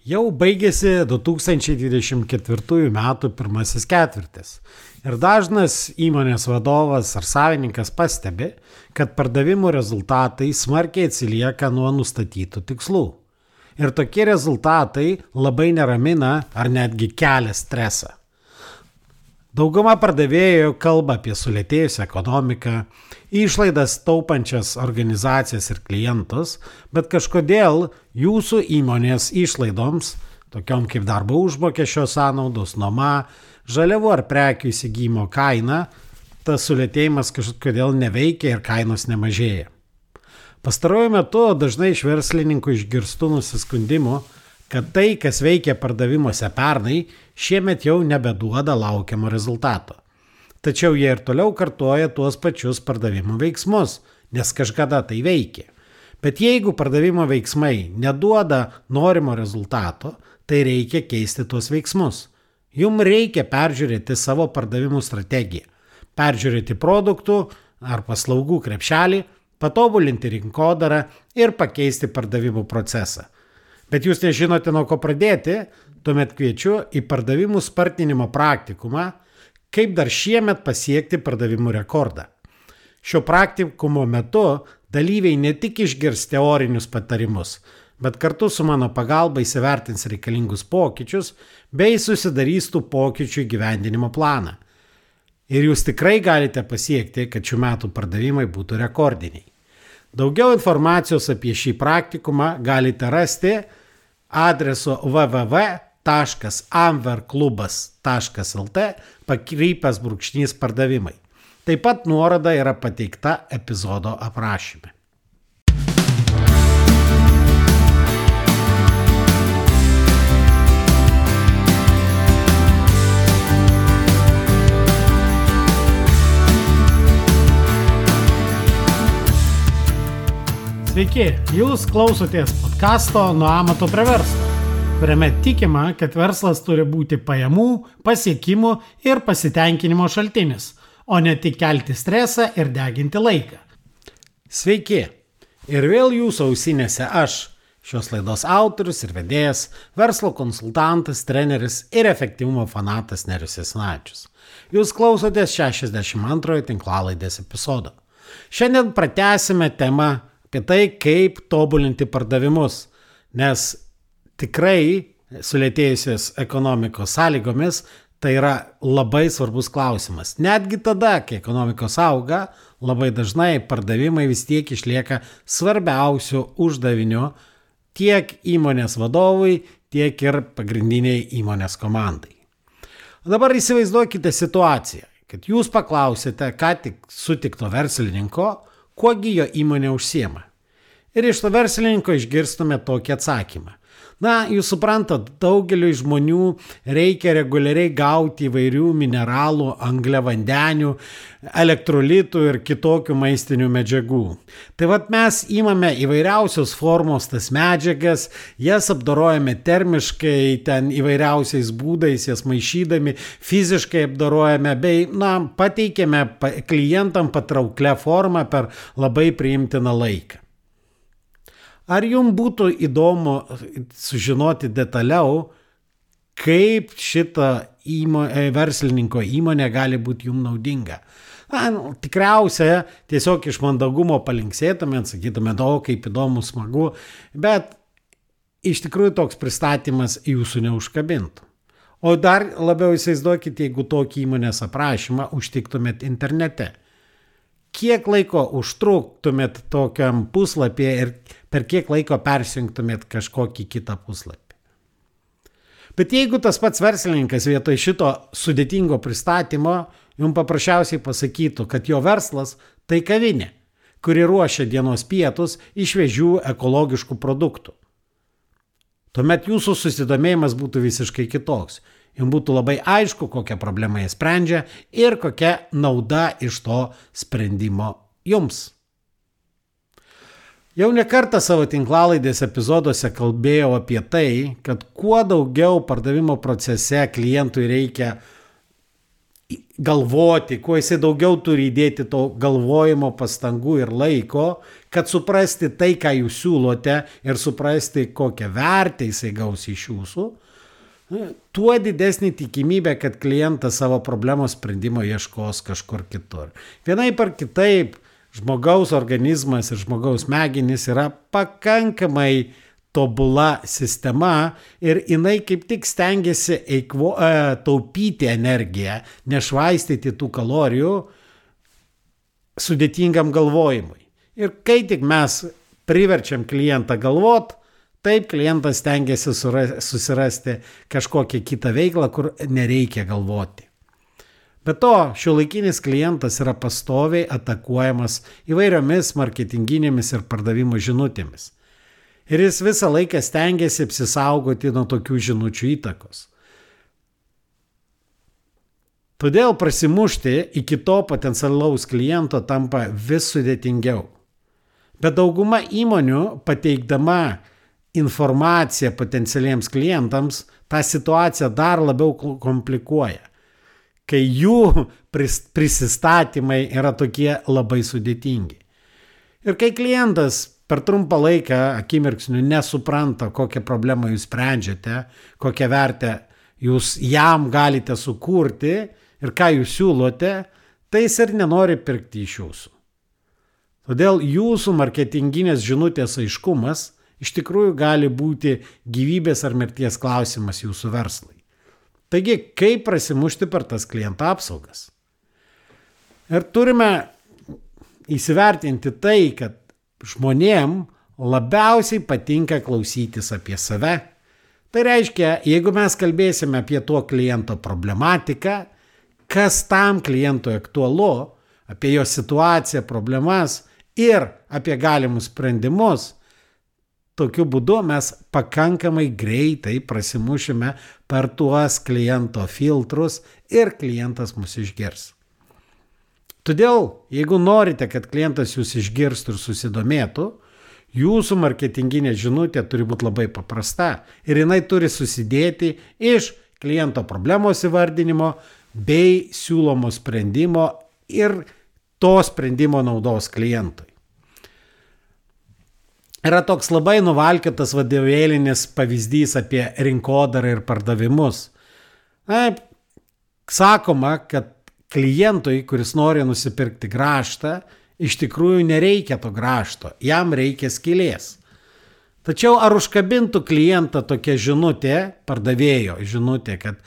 Jau baigėsi 2024 metų pirmasis ketvirtis ir dažnas įmonės vadovas ar savininkas pastebi, kad pardavimų rezultatai smarkiai atsilieka nuo nustatytų tikslų. Ir tokie rezultatai labai neramina ar netgi kelia stresą. Dauguma pardavėjų kalba apie sulėtėjusią ekonomiką, išlaidas taupančias organizacijas ir klientus, bet kažkodėl jūsų įmonės išlaidoms, tokiom kaip darbo užmokesčio sąnaudos, nuoma, žaliavų ar prekių įsigymo kaina, tas sulėtėjimas kažkodėl neveikia ir kainos nemažėja. Pastaruoju metu dažnai iš verslininkų išgirstu nusiskundimų, kad tai, kas veikia pardavimuose pernai, šiemet jau nebeduoda laukiamo rezultato. Tačiau jie ir toliau kartoja tuos pačius pardavimų veiksmus, nes kažkada tai veikia. Bet jeigu pardavimo veiksmai neduoda norimo rezultato, tai reikia keisti tuos veiksmus. Jums reikia peržiūrėti savo pardavimų strategiją, peržiūrėti produktų ar paslaugų krepšelį, patobulinti rinkodarą ir pakeisti pardavimų procesą. Bet jūs nežinote, nuo ko pradėti, tuomet kviečiu į pardavimų spartinimo praktikumą, kaip dar šiemet pasiekti pardavimų rekordą. Šio praktikumo metu dalyviai ne tik išgirs teorinius patarimus, bet kartu su mano pagalba įsivertins reikalingus pokyčius bei susidarys tų pokyčių įgyvendinimo planą. Ir jūs tikrai galite pasiekti, kad šių metų pardavimai būtų rekordiniai. Daugiau informacijos apie šį praktikumą galite rasti adresu www.amverklubas.lt/pardavimai. Taip pat nuoroda yra pateikta epizodo aprašyme. Sveiki, jūs klausotės podcasto Nuo amato prie verslo, kuriame tikima, kad verslas turi būti pajamų, pasiekimų ir pasitenkinimo šaltinis, o ne tik kelti stresą ir deginti laiką. Sveiki, ir vėl jūsų ausinėse aš, šios laidos autorius ir vedėjas, verslo konsultantas, treneris ir efektyvumo fanatas Nerijus Jasinavičius. Jūs klausotės 62 tinklalaidės epizodo. Šiandien pratęsime temą apie tai, kaip tobulinti pardavimus, nes tikrai sulėtėjusios ekonomikos sąlygomis tai yra labai svarbus klausimas. Netgi tada, kai ekonomikos auga, labai dažnai pardavimai vis tiek išlieka svarbiausiu uždaviniu tiek įmonės vadovui, tiek ir pagrindiniai įmonės komandai. Dabar įsivaizduokite situaciją, kad jūs paklausite ką tik sutikto verslininko, kuogi jo įmonė užsiema. Ir iš to verslininko išgirstume tokį atsakymą. Na, jūs suprantat, daugeliui žmonių reikia reguliariai gauti įvairių mineralų, angliavandenių, elektrolitų ir kitokių maistinių medžiagų. Tai vat mes imame įvairiausios formos tas medžiagas, jas apdorojame termiškai, ten įvairiausiais būdais, jas maišydami, fiziškai apdorojame bei, pateikėme klientam patrauklę formą per labai priimtiną laiką. Ar jums būtų įdomu sužinoti detaliau, kaip šita verslininko įmonė gali būti jums naudinga? Tikriausia, tiesiog iš mandagumo palinksėtumėt, sakytumėt, kaip įdomu, smagu, bet iš tikrųjų toks pristatymas jūsų neužkabintų. O dar labiau įsivaizduokite, jeigu tokį įmonės aprašymą užtiktumėt internete. Kiek laiko užtruktumėt tokiam puslapyje ir per kiek laiko persijungtumėt kažkokį kitą puslapį. Bet jeigu tas pats verslininkas vietoj šito sudėtingo pristatymo jums paprasčiausiai pasakytų, kad jo verslas tai kavinė, kuri ruošia dienos pietus iš šviežių ekologiškų produktų, tuomet jūsų susidomėjimas būtų visiškai kitoks. Jums būtų labai aišku, kokią problemą jie sprendžia ir kokia nauda iš to sprendimo jums. Jau ne kartą savo tinklalaidės epizoduose kalbėjau apie tai, kad kuo daugiau pardavimo procese klientui reikia galvoti, kuo jisai daugiau turi įdėti to galvojimo pastangų ir laiko, kad suprasti tai, ką jūs siūlote ir suprasti, kokią vertę jisai gaus iš jūsų, tuo didesnė tikimybė, kad klientas savo problemos sprendimo ieškos kažkur kitur. Vienaip ar kitaip, žmogaus organizmas ir žmogaus smegenys yra pakankamai tobula sistema ir jinai kaip tik stengiasi taupyti energiją, nešvaistyti tų kalorijų sudėtingam galvojimui. Ir kai tik mes priverčiam klientą galvot, taip klientas stengiasi susirasti kažkokią kitą veiklą, kur nereikia galvoti. Be to, šiuolaikinis klientas yra pastoviai atakuojamas įvairiomis marketinginėmis ir pardavimo žinutėmis. Ir jis visą laiką stengiasi apsisaugoti nuo tokių žinučių įtakos. Todėl prasimušti iki to potencialaus kliento tampa vis sudėtingiau. Bet dauguma įmonių pateikdama informaciją potencialiems klientams tą situaciją dar labiau komplikuoja, kai jų prisistatymai yra tokie labai sudėtingi. Ir kai klientas per trumpą laiką akimirksniu nesupranta, kokią problemą jūs sprendžiate, kokią vertę jūs jam galite sukurti ir ką jūs siūlote, tai jis ir nenori pirkti iš jūsų. Todėl jūsų marketinginės žinutės aiškumas iš tikrųjų gali būti gyvybės ar mirties klausimas jūsų verslui. Taigi, kaip prasimušti per tas kliento apsaugas? Ir turime įsivertinti tai, kad žmonėm labiausiai patinka klausytis apie save. Tai reiškia, jeigu mes kalbėsime apie to kliento problematiką, kas tam klientui aktualu, apie jo situaciją, problemas ir apie galimus sprendimus, tokiu būdu mes pakankamai greitai prasimušime per tuos kliento filtrus ir klientas mus išgirs. Todėl, jeigu norite, kad klientas jūs išgirstų ir susidomėtų, jūsų marketinginė žinutė turi būti labai paprasta ir jinai turi susidėti iš kliento problemos įvardinimo bei siūlomo sprendimo ir to sprendimo naudos klientui. Yra toks labai nuvalkiotas vadovėlinis pavyzdys apie rinkodarą ir pardavimus. Sakoma, kad klientui, kuris nori nusipirkti grąžtą, iš tikrųjų nereikia to grąžto, jam reikia skylės. Tačiau ar užkabintų klientą tokia žinutė, pardavėjo žinutė, kad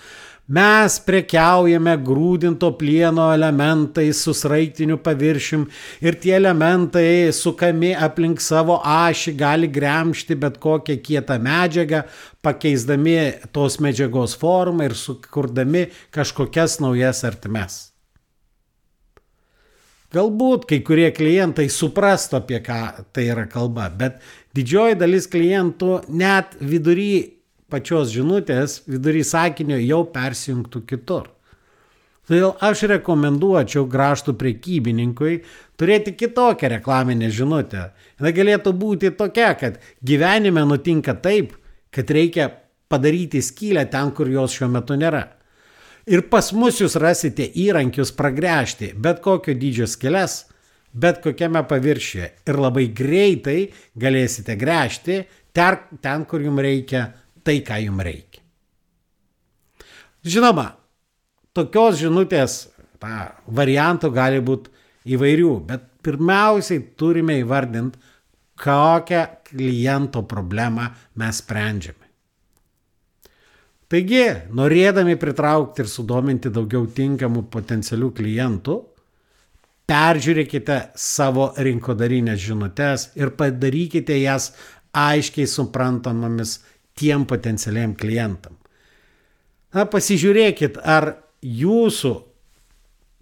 mes prekiaujame grūdinto plieno elementais su sraigtiniu paviršium ir tie elementai sukami aplink savo ašį gali gremžti bet kokią kietą medžiagą, pakeisdami tos medžiagos formą ir sukurdami kažkokias naujas ertmes. Galbūt kai kurie klientai suprastų, apie ką tai yra kalba, bet didžioji dalis klientų net vidury pačios žinutės, vidury sakinio jau persijungtų kitur. Todėl aš rekomenduočiau grąžtų prekybininkui turėti kitokią reklaminę žinutę. Jis galėtų būti tokia, kad gyvenime nutinka taip, kad reikia padaryti skylę ten, kur jos šiuo metu nėra. Ir pas mus jūs rasite įrankius pragręžti bet kokio dydžio skyles, bet kokiame paviršiuje. Ir labai greitai galėsite gręžti ten, kur jums reikia, tai, ką jums reikia. Žinoma, tokios žinutės variantų gali būti įvairių, bet pirmiausiai turime įvardinti, kokią kliento problemą mes sprendžiame. Taigi, norėdami pritraukti ir sudominti daugiau tinkamų potencialių klientų, peržiūrėkite savo rinkodarinės žinutes ir padarykite jas aiškiai suprantamomis tiem potencialiam klientam. Pasižiūrėkit, ar jūsų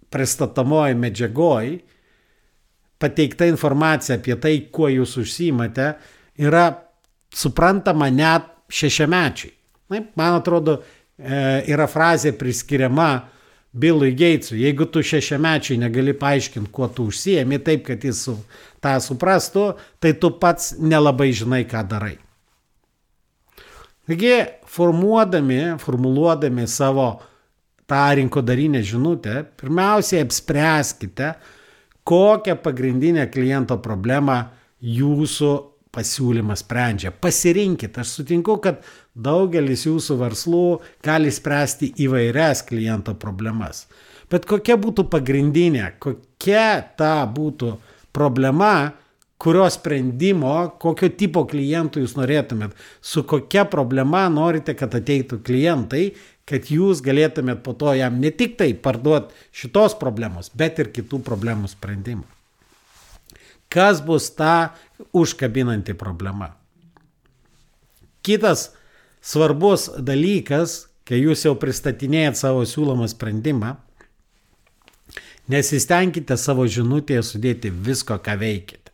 pristatomoji medžiagoj pateikta informacija apie tai, kuo jūs užsiimate, yra suprantama net šešiamečiai. Man atrodo, yra frazė priskiriama Billui Gatesui. Jeigu tu šešiamečiai negali paaiškinti, kuo tu užsiemi, taip, kad jis tą suprastų, tai tu pats nelabai žinai, ką darai. Taigi, formuluodami savo tą rinkodarinę žinutę, pirmiausiai apspręskite, kokią pagrindinę kliento problemą jūsų pasiūlymas sprendžia. Pasirinkit, aš sutinku, kad daugelis jūsų verslų gali spręsti įvairias kliento problemas. Bet kokia būtų pagrindinė, kokia ta būtų problema, kurios sprendimo, kokio tipo klientų jūs norėtumėt, su kokia problema norite, kad ateitų klientai, kad jūs galėtumėt po to jam ne tik tai parduoti šitos problemos, bet ir kitų problemų sprendimą. Kas bus ta užkabinanti problema? Kitas svarbus dalykas, kai jūs jau pristatinėjat savo siūlomą sprendimą, nesistengkite savo žinutėje sudėti visko, ką veikite.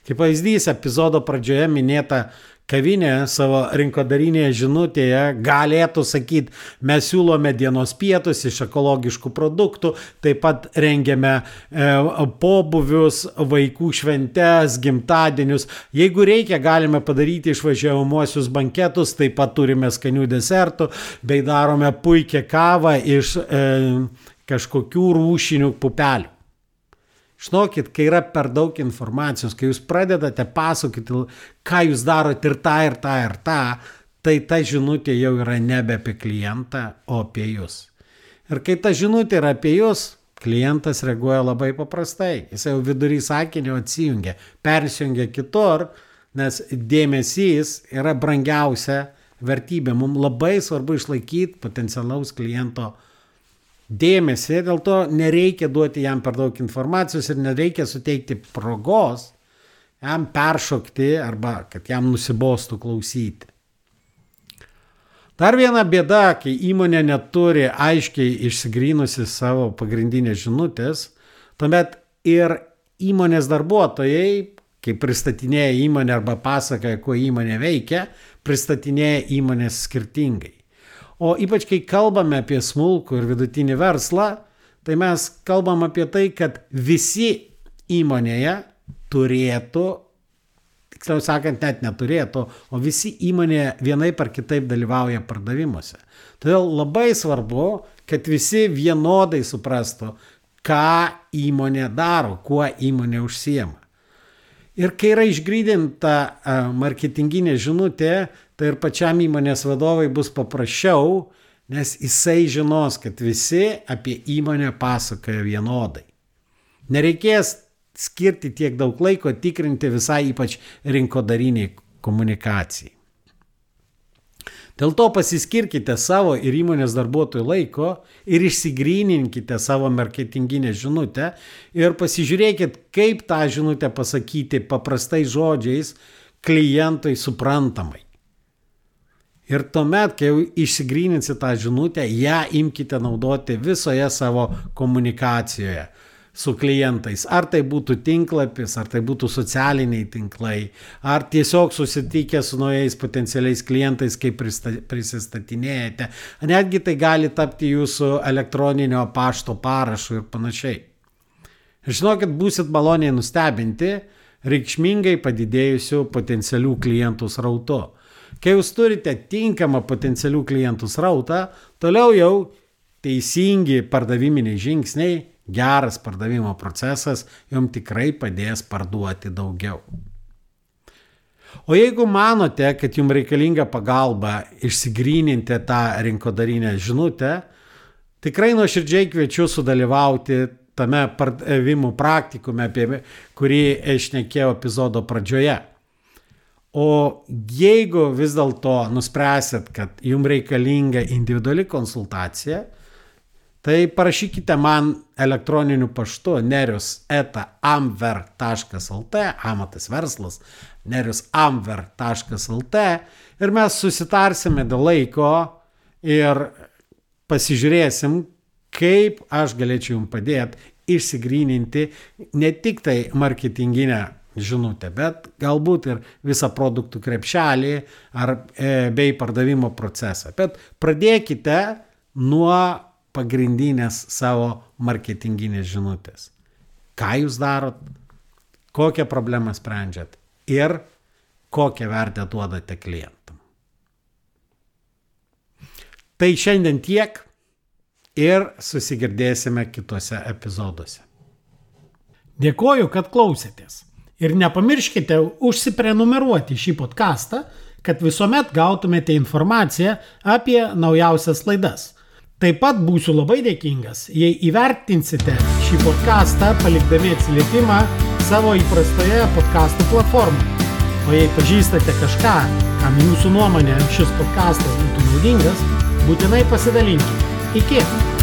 Kaip pavyzdys, epizodo pradžioje minėta kavinė savo rinkodarinėje žinutėje galėtų sakyti, mes siūlome dienos pietus iš ekologiškų produktų, taip pat rengiame pobūvius, vaikų šventes, gimtadienius. Jeigu reikia, galime padaryti išvažiuojamuosius banketus, taip pat turime skanių desertų, bei darome puikią kavą iš kažkokių rūšinių pupelių. Žinokit, kai yra per daug informacijos, kai jūs pradedate pasakoti, ką jūs darote ir tą, ir tą, ir tą, tai ta žinutė jau yra nebe apie klientą, o apie jūs. Ir kai ta žinutė yra apie jūs, klientas reaguoja labai paprastai. Jis jau vidury sakinio atsijungia, persijungia kitur, nes dėmesys yra brangiausia vertybė. Mums labai svarbu išlaikyti potencialaus kliento dėmesį, dėl to nereikia duoti jam per daug informacijos ir nereikia suteikti progos jam peršokti arba kad jam nusibostų klausyti. Dar viena bėda, kai įmonė neturi aiškiai išsigrynusi savo pagrindinės žinutės, tuomet ir įmonės darbuotojai, kai pristatinėja įmonę arba pasakoja, kuo įmonė veikia, pristatinėja įmonės skirtingai. O ypač, kai kalbame apie smulkų ir vidutinį verslą, tai mes kalbam apie tai, kad visi įmonėje turėtų, tiksliau sakant, net neturėtų, o visi įmonėje vienaip ar kitaip dalyvauja pardavimuose. Todėl labai svarbu, kad visi vienodai suprastų, ką įmonė daro, kuo įmonė užsiema. Ir kai yra išgrydinta marketinginė žinutė, tai ir pačiam įmonės vadovai bus paprasčiau, nes jisai žinos, kad visi apie įmonę pasakoja vienodai. Nereikės skirti tiek daug laiko tikrinti visai ypač rinkodariniai komunikacijai. Dėl to pasiskirkite savo ir įmonės darbuotojų laiko ir išsigryninkite savo marketinginę žinutę ir pasižiūrėkit, kaip tą žinutę pasakyti paprastais žodžiais klientui suprantamai. Ir tuomet, kai jau išsigryninsit tą žinutę, ją imkite naudoti visoje savo komunikacijoje su klientais. Ar tai būtų tinklapis, ar tai būtų socialiniai tinklai, ar tiesiog susitikę su naujais potencialiais klientais, kaip prisistatinėjate. Netgi tai gali tapti jūsų elektroninio pašto parašu ir panašiai. Ir žinokit, būsit maloniai nustebinti reikšmingai padidėjusių potencialių klientų srautu. Kai jūs turite tinkamą potencialių klientų srautą, toliau jau teisingi pardaviminiai žingsniai, geras pardavimo procesas jums tikrai padės parduoti daugiau. O jeigu manote, kad jums reikalinga pagalba išsigryninti tą rinkodarinę žinutę, tikrai nuoširdžiai kviečiu sudalyvauti tame pardavimų praktikume, apie kurį aš šnekėjau epizodo pradžioje. O jeigu vis dėlto nuspręsit, kad jums reikalinga individuali konsultacija, tai parašykite man elektroniniu paštu nerius@amver.lt, amatas verslas, nerius@amver.lt ir mes susitarsime dėl laiko ir pasižiūrėsim, kaip aš galėčiau jums padėti išsigryninti ne tik tai marketinginę žinutę, bet galbūt ir visą produktų krepšelį bei pardavimo procesą. Bet pradėkite nuo pagrindinės savo marketinginės žinutės. Ką jūs darot, kokią problemą sprendžiat ir kokią vertę duodate klientam. Tai šiandien tiek. ir susigirdėsime kitose epizoduose. Dėkoju, kad klausėtės. Ir nepamirškite užsiprenumeruoti šį podcastą, kad visuomet gautumėte informaciją apie naujausias laidas. Taip pat būsiu labai dėkingas, jei įvertinsite šį podcastą palikdami atsiliepimą savo įprastoje podcastų platformoje. O jei pažįstate kažką, kam jūsų nuomonė šis podcastas būtų naudingas, būtinai pasidalinkite. Iki!